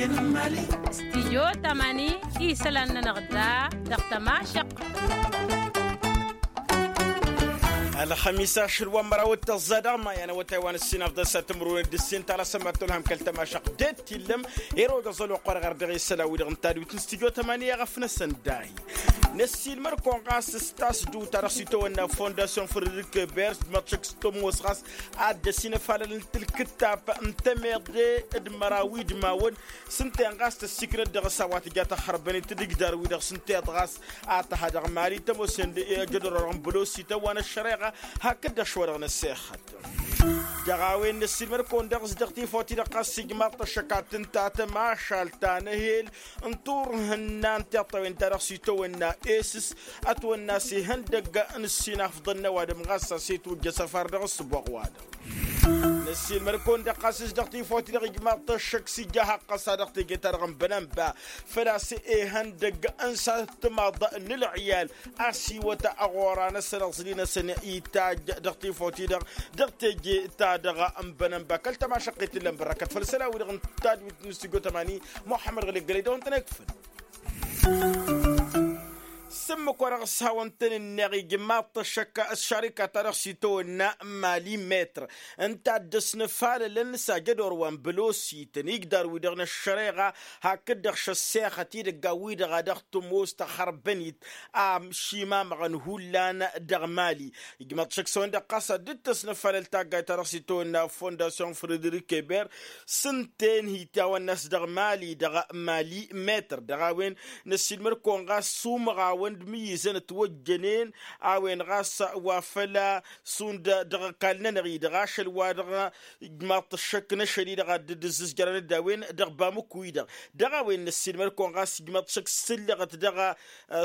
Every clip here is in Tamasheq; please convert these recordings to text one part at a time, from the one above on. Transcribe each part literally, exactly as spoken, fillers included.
Stijyo tamani isălan-nănăɣ da dăɣ-tămašăq. Ălxămis ašăl wa n-măraw d-tăẓẓa dăɣ-may anăwătay wa n-ǝssin afḍăn s-ad-tǝmrǝwăn d-ǝssin ta lasămmat tolhăm kăl-tămašăq d-tillăm. Ero d-aẓăl wa qărăɣ ărdăɣ isălan wi-dăɣ n-tadwit n-stijyo tamani i-aɣăf-năsăn dahi n-ăssiilmăr-kăwăn ɣas s-tasdut ta dăɣ-s itawănna fondasyon fredrik bers d-măḍšăk s-tămoos ɣas ad-dd-ăsinăfalălăn tǝlkǝttap n-temeḍe d-măraw idmawăn s-ǝnta-en ɣas tăssiiknăt dăɣ-s a-wa tǝja tăxxărbănit d-igdar-wi-dăɣ s-ǝnta i-dd ɣas a tăha dăɣ-mali tămoos-en d-ejădor-orăɣ n-bălosi tăwwan ăššăreɣa hakd-dăɣ šwa dăɣ-năssexăt. Dăɣ-a-wen năssiilmăd-kăwăn dăɣ-s dăɣ-tifawt-i-dăɣ ɣas ijmaḍ-t ăššăk ad-tǝnta tămašalt ta n-ehel n-turhǝnna n-tiṭṭawen ta dăɣ-s itawănna esǝs ătwănna s-ihăndăgg n-ǝssin afḍăn n-ăwadǝm ɣas a-s itwǝjjăs ăfar dăɣ-ǝssǝboɣ-wa-dăɣ. Năssiilmăd-kăwăn-dăɣ ɣas s-dăɣ tifawt-i-dăɣ ijmaḍ-t ăššăk s-ija haqqăs-a-dăɣ teje-ta-dăɣ n-bănănba făl-a-s ihăndăgg n-sat timaḍ n-ǝlɣiyal a-s iwăt ăɣora-năsăn ăẓli-năsăn itajj dăɣ-tifawt-i-dăɣ dăɣ-teje-ta-dăɣ n-bănănba kăl-tămašăqqit ǝllăn bărrăkăt făll-isălan-wi-dăɣ n-tadwit n-stujo tămani muḥămmăd ɣǝli ăggălăy dăɣ-wăn-tăn-ekfǝn. S-ǝmmǝk wa dăɣ-s hawăn-tăn-ǝnneɣ ijmaḍ-t ăššăk ăššarika ta dăɣ-s itawănna n-mali metr ǝnta a dd-ăsnăfalălăn s-ajădor wa n-bălosităn igdar-wi-dăɣ n-ăššăreɣa hakd-dăɣ šăssexăt idăggan-wi-dăɣ a dăɣ-tămoos tăxărbănit a šimamăɣăn hullan dăɣ-mali. Ijmaḍ-t šăkk s-a-wen-dăɣ ɣas a dd-tăsnăfalăl taggayt ta dăɣ-s itawănna fondasyon fredrik eber s-ǝnta-en hi-tawănna a-s dăɣ-mali dăɣ-mali metr dăɣ-a-wen năssiilmăd-kăwăn ɣas sumăɣ-awăn d-imǝyyǝzăn ătwăjjănen a-wen ɣas wa făl-a šund dăɣ-ăkall-nănăɣ-i-dăɣ ašăl wa dăɣ-ijmaḍ-t ăššăk n-ašăl-i-dăɣ a dd-ǝzzǝzjărăn d-a-wen dăɣ-bamǝku-i-dăɣ. Dăɣ-a-wen năssiilmăd-kăwăn ɣas ijmaḍ-t ăššăk s-sǝllăɣăt dăɣ-a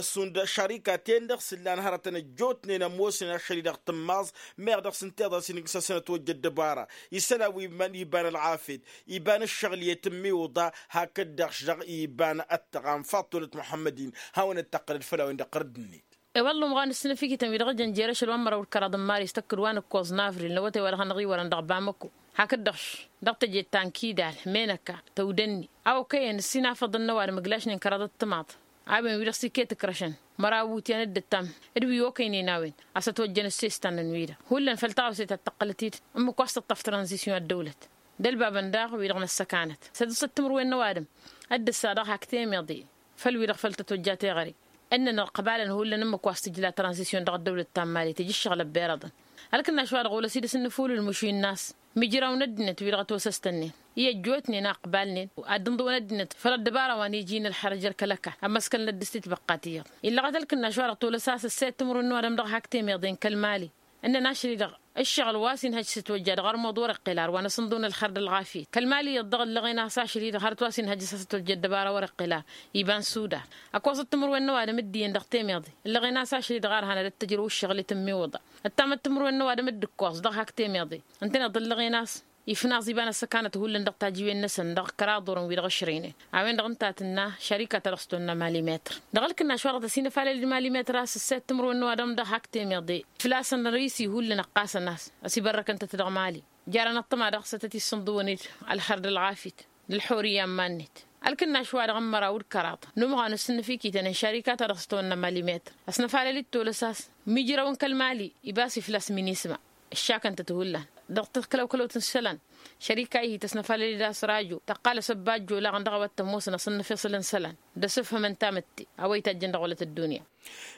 šund šarika-ten-dăɣ s-ǝllan hărătăn ăjjootnen ămoosnen ašăl-i-dăɣ tǝmmaẓ meɣ dăɣ-s ǝnta iḍa s-inǝgg-sasăn ătwăjja ăddăbara isălan wi iman iban ălɣafyăt iban ǝššăɣǝl i-tǝmmiwǝḍa hakd-dăɣ-š dăɣ-iban ăttăɣam faḍt tolăt muḥămmăd-in hawăn-dd-tăqqǝlăd făll-a-wen dăɣ-tărădd-net. I-wălla umɣan ǝssǝnǝfikităn wi-dăɣ ǝjăn jer-ašăl wa n-măraw d-kăraḍ n-maris tăkk d-wa nǝkkoẓ n-avril n-awătay wa dăɣ-hanăɣ-iwărăn dăɣ-bamăko hakd-dăɣ-š dăɣ-teje ta n-kidal menăka tăwdănni a okăyăn ǝssin afăḍăn n-ăwadǝm ǝglašnen kăraḍăt timaḍ a-wen wi-dăɣ s-iket ǝkrăšăn măraw iwǝtyan d-ǝttam d-wi okăynen a-wen a-s ătwăjjăn ǝssestan-năn-wi-dăɣ hullan făll-taɣăwse ta t-tăqqălăt-dd ǝmmǝk wa s-tǝṭṭăf tranzisyon ăddăwlăt d-ălbabăn daɣ wi-dăɣ n-ăssăkanăt s-ad-dăɣ-s ăttǝmrǝwen n-ăwadǝm ad-dd-ǝssa daɣ hak temeḍe făll-wi-dăɣ făll-tătwăjja teɣăre ǝnnăn ălqăbalăn hullan ǝmmǝk wa s-tǝjla tranzisyon dăɣ-ăddăwlăt ta n-mali tǝj ǝššăɣǝl ăbbirăḍăn. Ălkǝnnaš-wa-dăɣ olăs-dd s-ǝnnǝfulǝl măšuyǝn-nas mijrawăn ăddinăt wi-dăɣ ătwăsăstănnen i-ăjjootnen a ǝqbalnen ad-dd-ǝnḍǝwăn ăddinăt făll-ăddăbara wa n-iji n-ălxărăj ălkăl-ăkall ămmăskălnăt dăɣ-s titbăqqat iyyăḍ. Illăɣăt ălkǝnnaš-wa-dăɣ tolăs a-s ăssayăt timǝrwen n-ăwadǝm dăɣ-hak temeḍe n-kăl-mali ǝnnăn ašăl-i-dăɣ ǝššăɣǝl wa s-inhăj s-ătwăjja dăɣ-armuḍ wăr-iqqel ar wa n-asǝnḍǝw n-ălxărd ălɣafyăt kăl-mali iyyăḍ-dăɣ ǝllăɣen a-s ašăl-i-dăɣ hărăt wa s-inhăj s-asătwăjja ăddăbara wăr-iqqel ar iba n-sudan. Ăkoẓăt timǝrwen n-ăwadǝm dd-iyyăn dăɣ-temeḍe ǝllăɣen a-s ašăl-i-dăɣ ar hanăd-ăttăjrăw ǝššăɣǝl i-tǝmmiwǝḍa ăttamăt timǝrwen n-ăwadǝm dd-ǝkkoẓ dăɣ-hak temeḍe ǝntăneḍ ǝllăɣen a-s ifnaẓ iba n-ăssăkanăt hullan dăɣ-tajiwen-năsăn dăɣ-kăraḍ orăn wi-dăɣ ǝšrăynen. A-wen-dăɣ ǝnta a tǝnna šărikat ta dăɣ-s tonna mali metr dăɣ-ălkǝnnaš wa dăɣ-tăsinăfalăl d-mali metr a-s ǝssayăt timǝrwen n-ăwadǝm dăɣ-hak temeḍe fǝlasăn risi hullan ăqqasăn a-s ăsibărrăkăn-tăt dăɣ-mali. Jarăn ăṭṭăma dăɣ-sătăt issǝnḍǝwăn-dd ălxărd ălɣafyăt d-ălxurǝyya n-iman-net. Ălkǝnnaš wa-dăɣ n-măraw d-kăraḍ n-umɣan n-sǝnnǝfikităn n-šarika ta dăɣ-s tawănna mali metr ăsnăfalăl-dd tolăs a-s mijrăw n-kăl-mali ibas-i fălla-s minisma ǝššakăn-tăt hullan dăɣ-tăkălăwkălăwt n-isălan. Šărika-i hi-tăsnăfalăl-dd a-s rajo tăqqal asăbbajjo laɣăn dăɣ-a-wa t-ămoosăn asǝnnăfeṣăl n-isălan d-asǝfhǝm n-tamǝtte a-wa itajjăn dăɣ-wălăt ăddunya.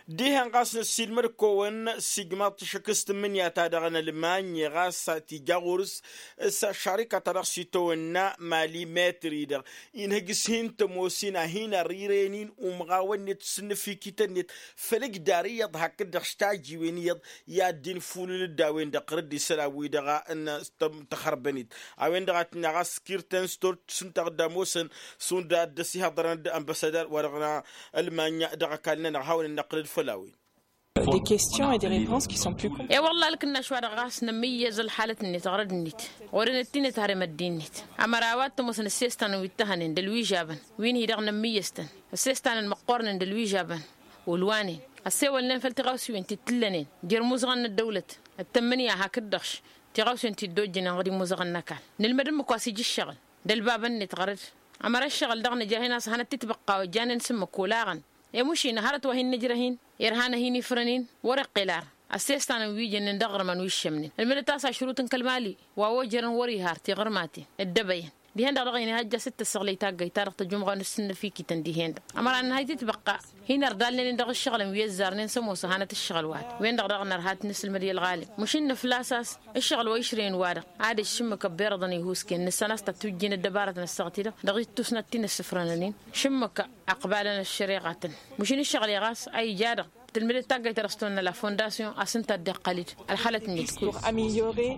Dihen ɣas năssiilmăd-kăwăn s-ijmaḍ-t ašăk s-tǝmmǝnǝya-ta-dăɣ n-ălmanya ɣas tija ɣur-s s-ăššarika-ta-dăɣ s-itawănna mali metri-dăɣ inhăj s-hin-tămoos-in a hin-ărriren-in umɣawăn-net s-ǝnnǝfikităn-net făll-ǝjdar iyyăḍ hakd-dăɣ s-tajiwen iyyăḍ i-ad-dd-infulǝl d-a-wen-dăɣ ɣur-dd isălan-wi-dăɣ n-tăxărbănit. A-wen-dăɣ a tǝnna ɣas kirtăn s-tort s-ǝnta a dd-ămoosăn šund a dd-ăsihăḍărăn d-ambăssadăr wa dăɣ-n ălmanya dăɣ-ăkall-nănăɣ hawăn-in-năqqǝlăd făll-a-wen. Des questions et des réponses qui sont plus complexes. E-wălla ălkǝnnaš wa dăɣ-ɣas nămmǝyyăz ălxalăt-net ɣărăd-net ɣur-enăt tinăt harem ăddin-net. Ămăra a-wa t-ămoosăn ǝssestan wi t-ăhănen d-ălwižabăn wi n-hi-dăɣ nămmǝyyăz-tăn ǝssestan n-măqqornen d-ălwižabăn. Ulwanen ăssewălnen făll-tiɣawsiwen ti t-ǝllănen jer-imuzăɣăn n-ăddăwlăt d-tǝmmǝnǝya hakd-dăɣ-š tiɣawsen ti dd-ojjănen ɣur-imuzăɣăn n-ăkall. Nǝlmăd ǝmmǝk wa s-ija ǝššăɣǝl d-ălbabăn-net ɣărăd Ămăra ǝššăɣǝl dăɣ-nǝja hin-a-s hanăt-titbăqqa wa ǝjjănen s-ǝmmǝk olaɣăn. I-mušin hărăt wa hin-nǝjrăh-in irha n-ad-hin-ifrăn-in wăr-iqqel ar ăssestan n-wi jănnen dăɣ-ɣărmăn wi ǝššămnen ălmǝdăt a-s ašrut n-kăl-mali wa ojărăn wăr-iha ar tiɣǝrmaten dd-ăbăyăn. Dihen-dăɣ dăɣ-inihăjja s-dd-tăssăɣlăy taggăyt-ta-dăɣ tăjumɣa n-ǝssǝnnăf iktăn dihen-dăɣ. Ămăra n-hăy titbăqqa hin-ărdalnen-in dăɣ-ǝššăɣǝlăn wi ăzzarnen s-ămoos ăhanăt ǝššăɣǝl-wa-dăɣ wen-dăɣ daɣ nărha ad-t-nǝsǝlmăd i-ălɣalem. Măšin nǝfla-s a-s ǝššăɣǝl wa išrǝyăn-wa-dăɣ ad-ăššǝmmǝk ăbbeṛăḍăn ihusken nǝssan a-s tătwǝjjen ăddăbarătăn ăssaɣăt-i-dăɣ dăɣ-ittus n-ad-t-in-ǝssǝfrănăn-in. Šǝmmǝk ăqbalăn ăššăreɣatăn. Măšin ǝššăɣǝl-i ɣas a ija-dăɣ tǝlmǝdăt taggayt ta dăɣ-s tăwănna la fondasyon a-s ǝnta a dd-iqqăl-dd ălxălăt-net. Pour améliorer.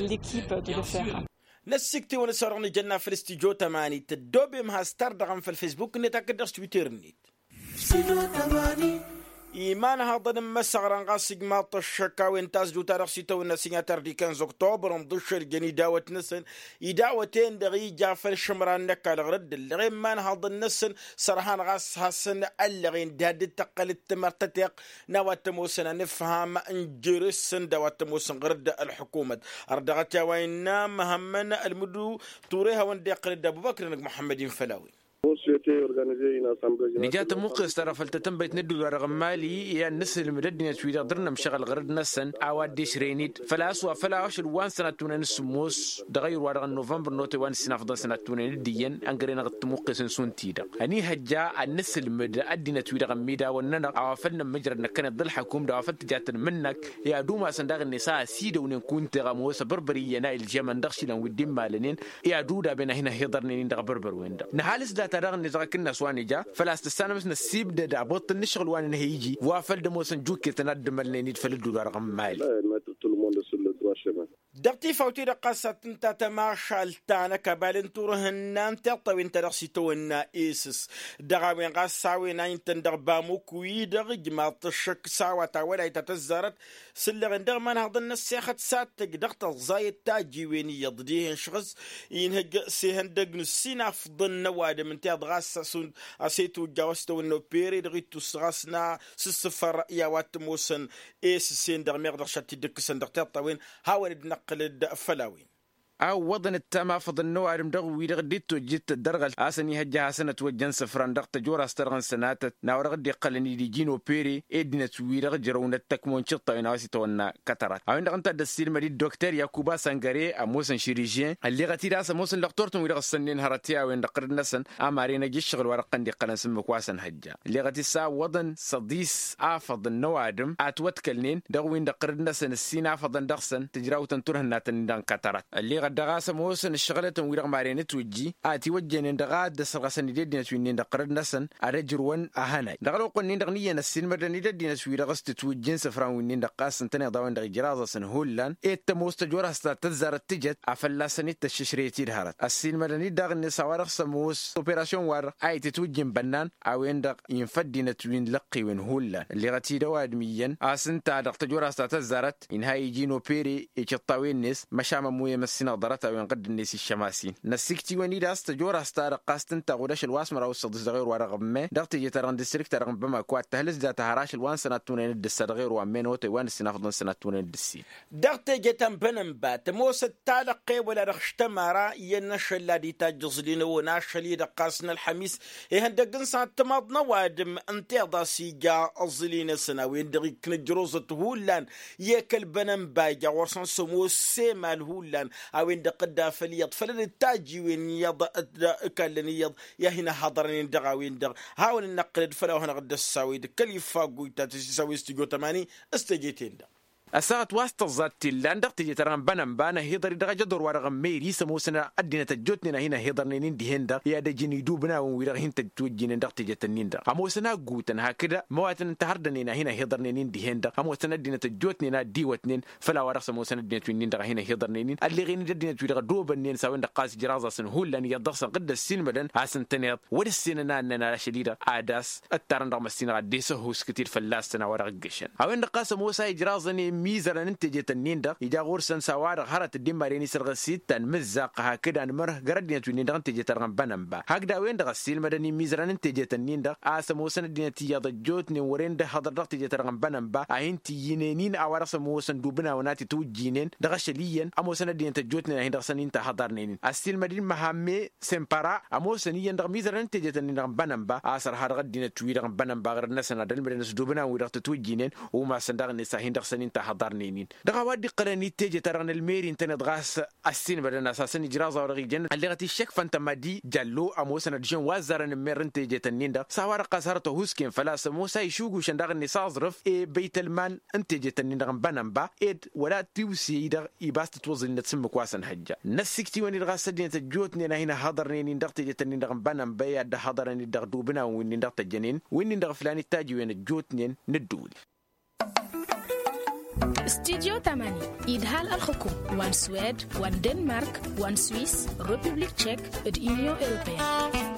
L'équipe de le faire. Năssikt'-iwăn s-orăɣ nǝjănna făll-stujo tămanit ăddoobem has-tardăɣăm făll-facebook-net hakd dăɣ-s twitter-net. Imanhaḍăn n-imăsăɣrăn ɣas ǝjmaḍ-t ăššăk a-wen tazduta dăɣ-s itawănna sinyatăr diken z-oktobăr ǝnḍǝššăl jăn idawăt-năsăn. Idawăt-en-dăɣ ija făll-išǝmran n-ăkall ɣur-dd ǝllăɣen imanhaḍăn-năsăn. Sărhan ɣas hasăn-ăllăɣen diha dd-tăqqăl d-timărt tăteɣt n-a-wa t-ămoosăn anǝfham n-jere-săn d-a-wa t-ămoosăn ɣur-dd ălḥukumăt. Ărdăɣăt i-a-wa innă măhămmăn ălmǝdu ture hawăn-dd-iqqăl d-abubăkr-năk muḥămmăd-in făll-a-wen. Nǝja tămuqqes-ta-dăɣ făll-tatănbăyt n-ădduul-wa-dăɣ n-mali i-ad-nǝsǝlmǝd ăddinăt-wi-dăɣ dăr-nămšăɣ ălɣărăd-năsăn a-wa dd-išrăyăn-dd făl-a-s wa făl ašăl wa n-sănattunăn s-sǝmmos dăɣ-ayǝr-wa-dăɣ n-novămbăr n-otay wa n-ǝssinafḍăn sănattun-en d-iyyăn ăngăren-dăɣ d-tămuqqes n-šund-ti-dăɣ ăniihăjja ad-nǝsǝlmǝd ăddinăt-wi-dăɣ ămmidaw ănnănăɣ a-wa făl nămmǝjrăd năkkăneḍ d-ălḥăkum d-a-wa făl tǝjatăn mǝnnăk. I-ad-umasăn daɣ-net a ăsidăwnen kunta i-ɣămoos ăbărbăr iyyăn a ilžămăn dăɣ-išilan wi dd-immalănen. I-ad-udaben a hin-ăhhiḍărnen-in dăɣ-abărbăr-wen-dăɣ nǝhalǝs data daɣ-net dăɣ-akǝnnas wa nǝja. Făl-a-s tǝssanăm s-năssiibdăd abăḍt n-ǝššăɣǝl wa nǝnhăy iji wa făl d-ămoosăn juketăn ad-dd-ămălnen-dd făll-ădduul-wa-dăɣ n-mali. Dăɣ-tifawt-i-dăɣ ɣas ad-tǝnta tămašalt ta n-ăkabal n-turhǝnna n-tiṭṭawen ta dăɣ-s itawănna esǝs dăɣ-a-wen ɣas a-wen a intăn dăɣ-bamuk-wi-dăɣ ǝjmaḍ-t ăššăk s-a-wa tawălayt ta tăzzarăt. S-ǝlleɣen dăɣ-imanhăḍăn n-ăssexăt s-ad-tăj dăɣ-tăẓẓayăt tajiwen iyyăḍ dihen šɣǝs inhǝj s-ihăndăg n-ǝssinafḍăn n-ăwadǝm ǝnta iyyăḍ ɣas a-s itwǝjja wa s-tawănna opere dăɣ-ittus ɣas n-asǝssǝfăr i-a-wa t-ămoosăn. Esǝssen-dăɣ meɣ dăɣ-šat-dd-ǝkkǝsăn dăɣ-tiṭṭawen hawăn-dd-năqqǝlăd făll-a-wen. A ǝwwăḍăn ǝttam afăḍăn n-ăwadǝm dăɣ-wi-dăɣ dd-tojjǝt ăddărɣăl a-s ăniihăjja ad-hasăn-ătwăjjăn isǝfran dăɣ-tăjorast-ta-dăɣ n-sănatăt n-a-wa dăɣ-dd-iqqălăn-dd iji n-opere ăddinăt-wi-dăɣ ǝjrăwnăt tăkmo n-tiṭṭawen a-wa s-itawănna kătărat a-wen-dăɣ ǝnta a dd-ăssiilmăd i-dd-dokter yakuba săngăre ămoosăn širižyen ălleɣăt-dd a-s ămoosăn lăqtor-tăn-wi-dăɣ ǝssănnen hărăt i-a-wen-dăɣ ɣǝrǝd-năsăn. Ămaren ăj ǝššăɣǝl wa dăɣ-tăn-dd-iqqălăn s-ǝmmǝk wa s-ănhăjja ălleɣăt-dd s-a ǝwwăḍăn săḍis afăḍăn n-ăwadǝm a ătwătkălnen dăɣ-win-dăɣ ɣǝrǝd-năsăn ǝssin afăḍăn dăɣ-săn tǝjrawt n-turhǝnna-tăn-in-dăɣ n-kătărat. Ălleɣăt daɣ a-s ămoosăn ǝššăɣǝlătăn-wi-dăɣ maren ătwǝjji a tiwăjjănen dăɣ-a dd-ăsrăɣăsăn-dd i-ăddinăt wi-nin-dăɣ ɣǝrǝd-năsăn ad-ăjrǝwăn ahănay dăɣ-ălwăqq-nin-dăɣ n-iyyăn ăssiilmădăn-dd ăddinăt-wi-dăɣ s-tǝtwǝjjǝn isǝfran wi-nin-dăɣ ɣas ǝntăneḍ a-wen-dăɣ ijraẓ-asăn hullan. Ed tămoos tăjorhast ta tăzzarăt tǝjăt a fălla-săn-dd tăššǝšrăyăt-dd hărăt ăssiilmădăn-dd daɣ-net a-wa-dăɣ s-ămoos operasyon-wa-dăɣ a itǝtwǝjjǝn bănnan a-wen-dăɣ infa ăddinăt wi n-lăqqiwen hullan ălleɣăt-dd ăwadǝm iyyăn a-s ǝnta dăɣ-tăjorhast ta tăzzarăt inha iji n-opere i-tiṭṭawen-net. Măšan ămmuyăm ăssinăɣ ḍarăt-a-wen ɣǝdd-net iššămas-in năssikt'-iwăn-dd a-s tăjorhast-ta-dăɣ ɣas tǝnta ɣud ašăl wa s-măraw s-săḍis dăɣ-erwa-dăɣ ămmăy dăɣ-teje-ta-dăɣ n-distrikt-ta-dăɣ n-bamako ad-tăhlǝs data har ašăl wa n-sănattun-en d-ǝssa dăɣ-erwa ămmăy n-otăy wa n-ǝssinafḍăn sănattun-en d-ǝssin. Dăɣ-teje ta n-bănănba tămoosăt talăqqe wăla dăɣ-š tămara iyyăn n-ašăl ad-itajj aẓlinăwăn ašăl-i-dăɣ ɣas n-ălxămis ihăndăgg n-sănat timaḍ n-ăwadǝm ǝnta iḍa a-s ija aẓli-năsăn a-wen-dăɣ ikna ǝjruẓăt hullan. I-kăl-bănănba ija ɣur-săn s-ămoos s-emal hullan a-wen-dăɣ dd-afăl iyyăḍ făll-dd-tajiwen iyyăḍ d-ikallăn iyyăḍ i-ad-hin-ăhhăḍărnen dăɣ-a-wen-dăɣ. Hawăn-dd-năqqǝlăd făll-a-wa hanăɣ-dd-ăssawăy d-kăl-iffag wi ta tǝsisawăy s-tijo tămani s-teje-ten-dăɣ. Ăssaɣăt wa s-tăẓẓa t-illan dăɣ-teje-ta-dăɣ n-bănănba năhiḍăr-dd dăɣ-ajăḍor-wa-dăɣ ămmăy ri s-ămoosăn ăddinăt ăjjootnen a hin-ăhiḍărnen-in dihen-dăɣ i-ad-ăjǝn idubnawen-wi-dăɣ hin-tăjjǝtwǝjjǝynen dăɣ-teje-tăn-in-dăɣ ămoosăn a ǝggutăn hakd măwatăn n-tahărdănen a hin-ăhiḍărnen-in dihen-dăɣ ămoosăn ăddinăt ăjjootnen a ăddiwătnen. Făll-a-wa-dăɣ s-ămoosăn ăddinăt wi-nin-dăɣ a hin-ăhiḍărnen-in ălleɣen-dd ăddinăt-wi-dăɣ ădobănnen s-a-wen-dăɣ ɣas ǝjraẓ-asăn hullan iyyăḍ dăɣ-săn ɣǝdd-ăssiilmădăn a-s ǝntăneḍ wăr-ǝssenăn a ǝnnăn ašăl-i-dăɣ ad-as-ǝttarăn dăɣ-măssinăɣ ad-dd-esăhhuskǝt-dd fălla-săn a-wa dăɣ-ǝggăšăn. A-wen-dăɣ ɣas ămoos a ijraẓăn. imizărăn n-tejet-ǝnnin-dăɣ ija ɣur-săn s-a-wa-dăɣ hărăt dd-imaren isărɣǝs ittan mǝzzaɣ hakd anmărh găr ăddinăt wi-nin-dăɣ n-tejet-ta-dăɣ n-bănănba hakd a-wen-dăɣ ăssiilmădăn imizărăn n-tejet-ǝnnin-dăɣ a-s ămoosăn ăddinăt iyyăḍ ăjjootnen wăren dd-ăhhăḍăr dăɣ-tejet-ta-dăɣ n-bănănba a hin-t-iyyǝnen-in a-wa dăɣ-s ămoosăn dubǝnawăn a t-itwǝjjǝynen dăɣ-ašăl iyyăn ămoosăn ăddinăt ăjjootnen a hin-dăɣ-săn inta hăḍarnen-in ăssiilmăd-in măhamme sempăra ămoosăn iyyăn dăɣ-mizărăn n-tejet-ǝnnin-dăɣ n-bănănba a-s ărha dăɣ-ăddinăt-wi-dăɣ n-bănănba ɣǝrǝd-năsăn ad-ălmǝdăn s-dubǝnawăn-wi-dăɣ tǝtwǝjjǝynen umasăn daɣ-net a hin-dăɣ-săn inta hăḍarnen-in dăɣ-a-wa dd-iqqălăn i-teje-ta-dăɣ n-ălmeri ǝntăneḍ ɣas ăssiinbădăn a-s hasăn-ijraẓ a-wa-dăɣ ijăn ălleɣăt iššăkfăn tămadi jallo ămoosăn ădžăn wa ăzzarăn n-merr n-tejet-ǝnnin-dăɣ s-a-wa-dăɣ ɣas hărăt ăhuusken făl-a-s ămoos a išugušăn daɣ-net aẓrǝf i-băytălman n-tejet-ǝnnin-dăɣ n-bănănba ed wăla tiwse-i-dăɣ ibas tǝtwăẓǝlnăt s-ǝmmǝk wa săn hăjja n-ăssiktǝwăn-dd ɣas ăddinăt ăjjootnen a hin-ăhhăḍărnen-in dăɣ-tejet-ǝnnin-dăɣ n-bănănba i-ad-dd-ăhhăḍărăn-dd dăɣ-dubǝnawăn wi-nin-dăɣ tăjjănen wi-nin-dăɣ ǝflan itajǝwen ăjjootnen n-ǝddǝwǝl. Studyo tamani idhal ălxǝkum wa n-swed wa n-denmark wa n-swis, republik tšek, d-inyon europeyăn.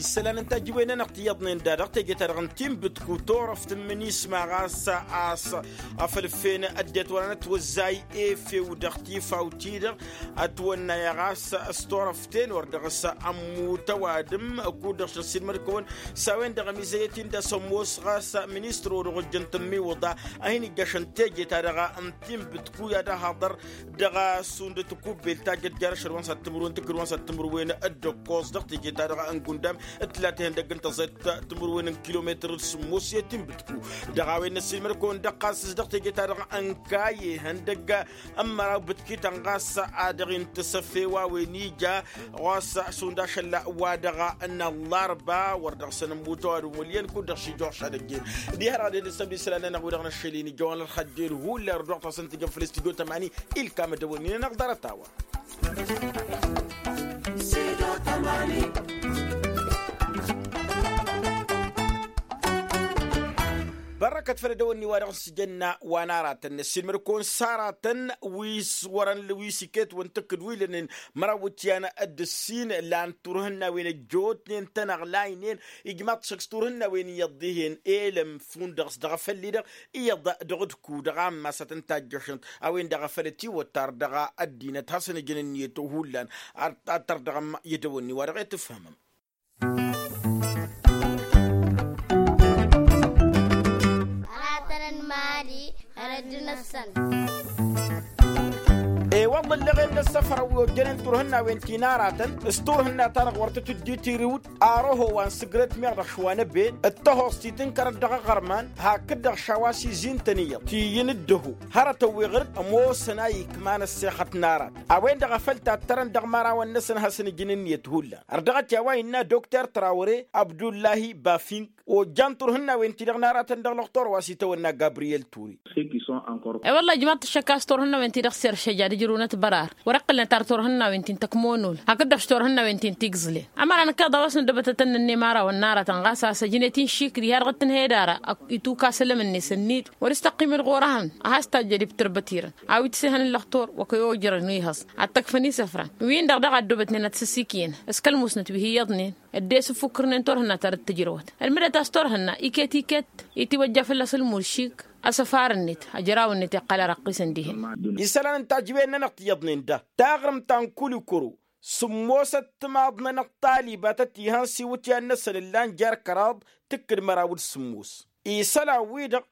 Isălan n-tajǝwen-nănăɣ tiyyăḍnen da dăɣ-teje-ta-dăɣ n-tinbǝtku turăft n-imǝnisma ɣas a-s afăl ǝffen ăddinăt wăr-anătwăzzay efew dăɣ-tifawt-i-dăɣ ătwănna-yăɣ a-s s-turăft-en wăr dăɣ-s ămmut ăwadǝm kud-dăɣ šăssinmăd-kăwăn s-a-wen-dăɣ ămizăyăt-in d-asămmos ɣas ministăr-o-dăɣ ojjăn tǝmmiwǝḍa a hin-ijjăšăn teje-ta-dăɣ n-tinbǝtku i-ad-ăhaḍăr dăɣ-asund tikubbelt ta jăt jer-ašăl wa n-sat timǝrwen tǝkkǝd wa n-sat timǝrwen d-ǝkkoẓ dăɣ-teje-ta-dăɣ n-gundam d-tǝlat ihăndăgg n-tăẓẓayt timǝrwen n-kilometăr d-sǝmmos i-tinbǝtku dăɣ-a-wen n-ăssiilmăd-kăwăn dăɣ-ɣas s-dăɣ teje-ta-dăɣ n-kayye ihăndăgg ămmăraw bǝtkităn ɣas a dăɣ-intǝsăf i-wa-wen ija ɣas šund ašăl wa dăɣ-năllarba wăr dăɣ-săn ămmut ăwadǝm wăl' iyyăn kud-dăɣ šijorš ad-ăjjeen diha-dăɣ ad-dd-ǝssăbdǝy isălan-nănăɣ wi-dăɣ năššăl-in ija wa n-ălxăjjel hullan ărduɣ-t a-s ǝntǝjăn făll-studyo tămani ilkam ădăwănnin-nănăɣ ḍarăt-a-wa. Bărrăkăt făll-edăwănni wa dăɣ-s jănna wa n-aratăn n-ăssiilmăd-kăwăn s-aratăn wi s-wărăn wi s-iket wăn tǝkkǝd wi lănen măraw wǝtyan d-ǝssin lan turhǝnnawen ăjjootnen tănăɣlaynen ijmaḍ-t šăkk s-turhǝnnawen iyyăḍ dihen elăm fund-dăɣ s-dăɣ-afălli-dăɣ iyyăḍ dăɣ-ǝdku dăɣ-ammas ad-tăn-tajjăšăn a-wen-dăɣ a făl ătiwăttar dăɣ-ăddinăt hasăn-ǝjǝn ǝnniyăt ohullan ad-tărdăɣăm i-edăwănni wa dăɣ-e tǝfhămăm. Aratăn n-mali hărăt d-năssăn. E-wălla ǝlleɣen n-ăssăfrăw wi ojjănen turhǝnnawen ti n-aratăn s-turhǝnna-ta-dăɣ wăr tǝtǝddi tiriwt. Arăho wa n-sǝgrăt meɣ dăɣ-š wa n-ăben d-tăhoẓt ti tǝnkărăt dăɣ-aɣărman hakd-dăɣ š-a-wa s-izin-tăn iyyăḍ ti-iyyǝn d-dăho hărătăn wi ɣǝr-dd ămoosăn a ikman ăssexăt n-arat a-wen-dăɣ a făl tattărăn dăɣ-imărawăn-năsăn ad-hasăn-ǝjǝn ǝnniyăt hullan. Ărdăɣăt i-a-wa innă dokter trawre abdullahi bafing ojjan turhǝnnawen-ti-dăɣ n-aratăn dăɣ-lăxtor wa s-itawănna gabriyel ture. E-wălla ijmaḍ-t ăššăk a-s turhǝnnawen-ti-dăɣ s-eršăj ad-ǝjrǝwnăt bărar wăr-ǝqqǝlnăt ar turhǝnnawen-ti n-tăkmonul hakd-dăɣ š-turhǝnnawen-ti n-tigẓǝlen. Ămăra năkk iḍa wa s-nǝddăbătătăn n-ănnimărawăn n-aratăn ɣas a-s ăjnăt-in šikri har dăɣ-tǝnhăy d-ara ituka asălăm-net ănniyăt wăr-s tăqqimăt ɣur-ehăn ad-has-tajjăd ibtărbăt-irăn a-wi t-sehăn n-lăxtur wa kăy-ojărăn wi hăẓ ad-tăkfăn isăfran wi-dăɣ daɣ a ăddoobătnen ad-sǝsikǝyăn s-kăl-musnăt wi hi-iyyăḍnen dd-esǝffukǝrnen turhǝnna ta dd-tǝjrăwăt ălmǝdăt a-s turhǝnna iket-iket itiwăjja fălla-s ǝlmud šik asăfar-net ajăraw-net iqqăl arăqqisăn dihen. Isălan n-tajǝwen-nănăɣ tiyyăḍnen da taɣrǝmt ta n-kulikuro sǝmmosăt timaḍ-nănăɣ talibatăt ihăn s-iwǝtyan-năsăn ǝllan jer-kăraḍ tǝkkǝd măraw d-sǝmmos isălan-wi-dăɣ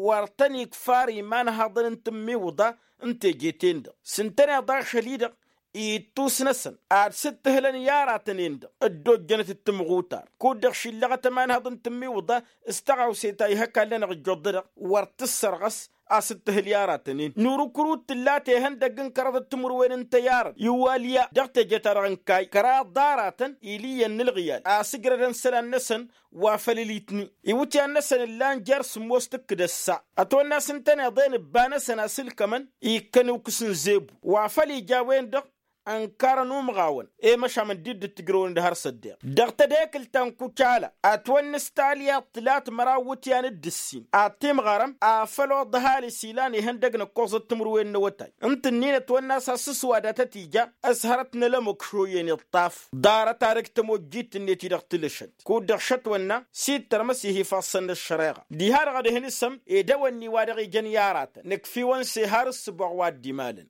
wăr tăn-ikfar imanhaḍăn n-tǝmmiwǝḍa n-teje-ten-dăɣ s-ǝntăneḍ ašăl-i-dăɣ ittus-năsăn ad-sǝttǝhlăn i-aratăn-en-dăɣ dd-ojjănăt d-timɣutar kud-dăɣ šillăɣăt ămanhăḍ n-tǝmmiwǝḍa s-tăɣawse ta ihăkall-nănăɣ ǝjjuḍ-dăɣ wăr tǝssărɣăs a-s ǝttǝhǝl i-aratăn-in nurǝkrut tǝlla tehăndăgg n-kăraḍăt timǝrwen n-tăyyarăt iwalya dăɣ-teje-ta-dăɣ n-kayy kăraḍ d-aratăn iliyyăn n-ǝlɣǝyal a-s ǝjrădăn isălan-năsăn wa făl ǝlitni iwǝtyan-năsăn ǝllan jer-sǝmmos tǝkkǝd ăssa ătwănna a-s ǝntăneḍ-en ǝbba-năsăn asǝlkămăn ikkăn ukǝs n-zebu wa făl ija a-wen-dăɣ ănkarăn umɣawăn i-măšan dd-tǝjrăwăn d-har s-ăddiɣ dăɣ-tedekǝlt ta n-kucala. Ătwănnăs talya tǝlat măraw iwǝtyan d-ǝssin ad-timɣărăm afăl oḍăhal isilan ihăndăg n-ǝkkoẓăt timǝrwen n-awătay ǝnta ǝnnin ătwănna a-s has-sǝswadatăt ija. S-hărăt n-elămok šoyyen iṭṭaf ḍarăt-ad-ăj tămojjit-net-i dăɣ-tilăšăt kud-dăɣ šătwănna s-ittărmăs ih' ifassăn n-ăššăreɣa. Diha-dăɣ ad-hin-isăm edăwănni wa dăɣ-ijăn i-aratăn nǝkf'-iwăn s-ehar ǝssǝboɣ wa dd-imalăn.